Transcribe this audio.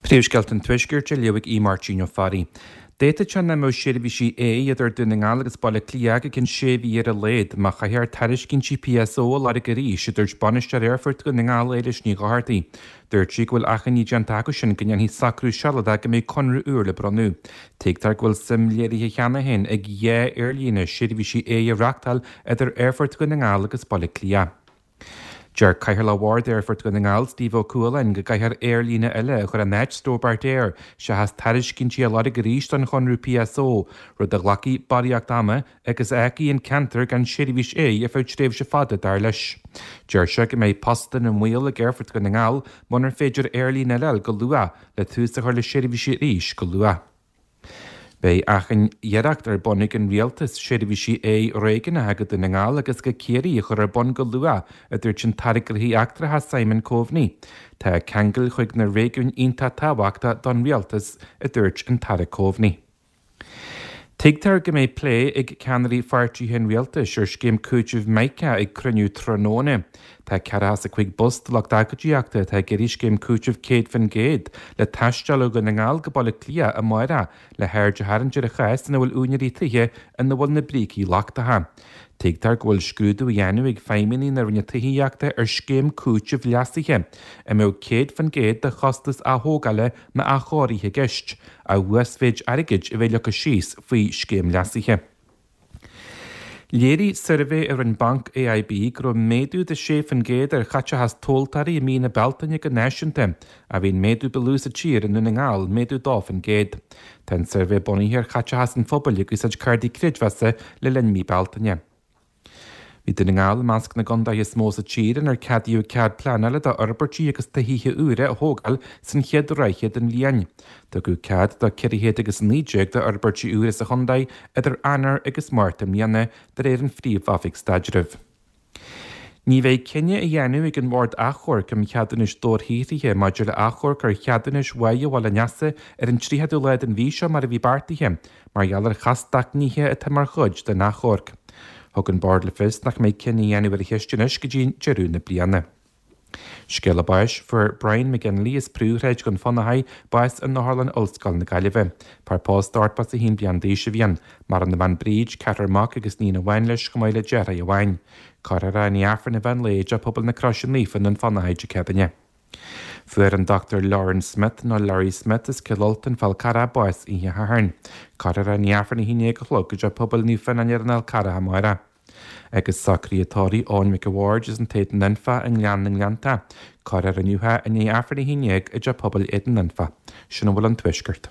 Príomhscéalta an Tuaiscirt á léamh ag Aodh Máirtín Ó Fearraigh. D'fhéadfadh sé nach mbeadh seirbhísí aeir idir Dún na nGall agus Baile Átha Cliath go ceann sé mhí ar a laghad má chaithfear tairiscintí PSO a lorg arís, a dúirt Bainisteoir Aerfort Dhún na nGall Éilis Ní Dhochartaigh. Dúirt sí go bhfuil achainí déanta acu sin go ndéanfaí socrú sealadach go mbeidh conradh úr le bronnadh. Tuigtear go bhfuil suim léirithe cheana féin ag dhá aerlíne seirbhísí aeir a reachtáil idir Aerfort Dhún na nGall agus Baile Átha Cliath. Deir Cathaoirleach Bhord Aerfort Dhún na nGall, Steve Ó Cualáin, go gcaithfear aerlíne eile a chur in áit Stobart Air seachas tairiscintí a lorg arís don chonradh PSO, rud a ghlacfaidh barraíocht ama agus a fhágfaidh an ceantar gan seirbhís aeir ar feadh tréimhse fada, dar leis. Deir sé go mbeidh postanna i mbaol ag Aerfort Dhún na nGall munar féidir aerlíne eile a fháil go luath le tús a chur le seirbhísí arís go luath. Beidh achan iarracht ar bun ag an Rialtas seirbhísí aeir réigiúnacha go Dún na nGall agus go Ciarraí a chur ar bun go luath, a dúirt an tAire Gnóthaí Eachtracha Simon Coveney. Tá ceangal chuig na réigiúin iontach tábhachtach don Rialtas, a dúirt an tAire Coveney. Tuigtear go mbeidh plé ag ceannairí pháirtithe an Rialtais ar scéim cúitimh Mica ag cruinniú tráthnóna. Tá ceathracha is a cuig bus de lucht agóidíochta atá ag iarraidh scéim cúitimh 100% le taisteal ó Dhún na nGall go Baile Átha Cliath amárach le haird a tharraingt ar an chás ina bhfuil úinéirí tithe ina bhfuil na brící lochtacha. Tuigtear go bhfuil scrúdú á dhéanamh ag feidhmeannaigh na Roinne Tithíochta ar scéim cúitimh leasaithe a mbeadh 100% de chostas athógála nó athchóirithe i gceist, ach uasmhéid airgid a bheith leagtha síos faoi scéim leasaithe. Léirigh suirbhé a rinne Banc AIB go raibh méadú de 6% ar chaiteachas tomhaltóirí i mí na Bealtaine go náisiúnta, ach bhí an méadú ba lú sa tír i nDún na nGall, méadú 2%. Tá an suirbhé bunaithe ar chaiteachas an phobail ag úsáid cártaí creidmheasa le linn mí Bealtaine. Bhí Dún na nGall i measc na gcontaetha is mó sa tír inar ceadaíodh cead pleanála d'fhorbairtí agus do thithe úra a thógáil san chéad ráithe den bhliain. Tugadh cead do 419 d'fhorbairtí úra sa chontae idir Eanáir agus Márta i mbliana, de réir an Phríomh-Oifig Staidrimh. Ní bheidh cinneadh á dhéanamh ag an Bhord Achomhairc um Cheadúnais Dobharshaothraithe maidir le achomharc ar cheadúnais Bháighe Bhaile an Easa ar an 30ú lá den mhí seo mar a bhí beartaithe, mar gheall ar chastacht nithe atá mar chuid den achomharc. Thug an Bord le fios nach mbeidh cinneadh á dhéanamh ar an cheist anois go dtí deireadh na bliana. Scéala báis, Fuair Brian McGinley as Príomhshráid Dhún Fionnachaidh bás in Otharlann Ollscoil na Gaillimhe. Fear pósta 81 bliain d'aois a bhí ann. Maireann a bhean Bríd, ceathrar mac agus iníon amháin leis chomh maith le deartháir amháin. Cuirfear é i ndiaidh Aifreann an mheán lae i dTeach Pobail na Croise Naofa i nDún Fionnachaidh Dé Céadaoine. Fuair an Dr Lawrence Smith, nó Larry Smith, as Cill Ultain, Fál Carrach, bás oíche Shathairn. Cuirfear é i ndiaidh Aifreann 11 a chlog i dTeach Pobail Naomh Fionnán ar an Fhál Carrach amárach. Agus socruithe tórraimh Eoin Mhic a' Bhaird as an tÉadan Anfa i nGleann na nGleannta. Cuirfear inniu é i ndiaidh Aifreann 11 i dTeach Pobail Éadan Anfa. Sin a bhfuil ón Tuaisceart.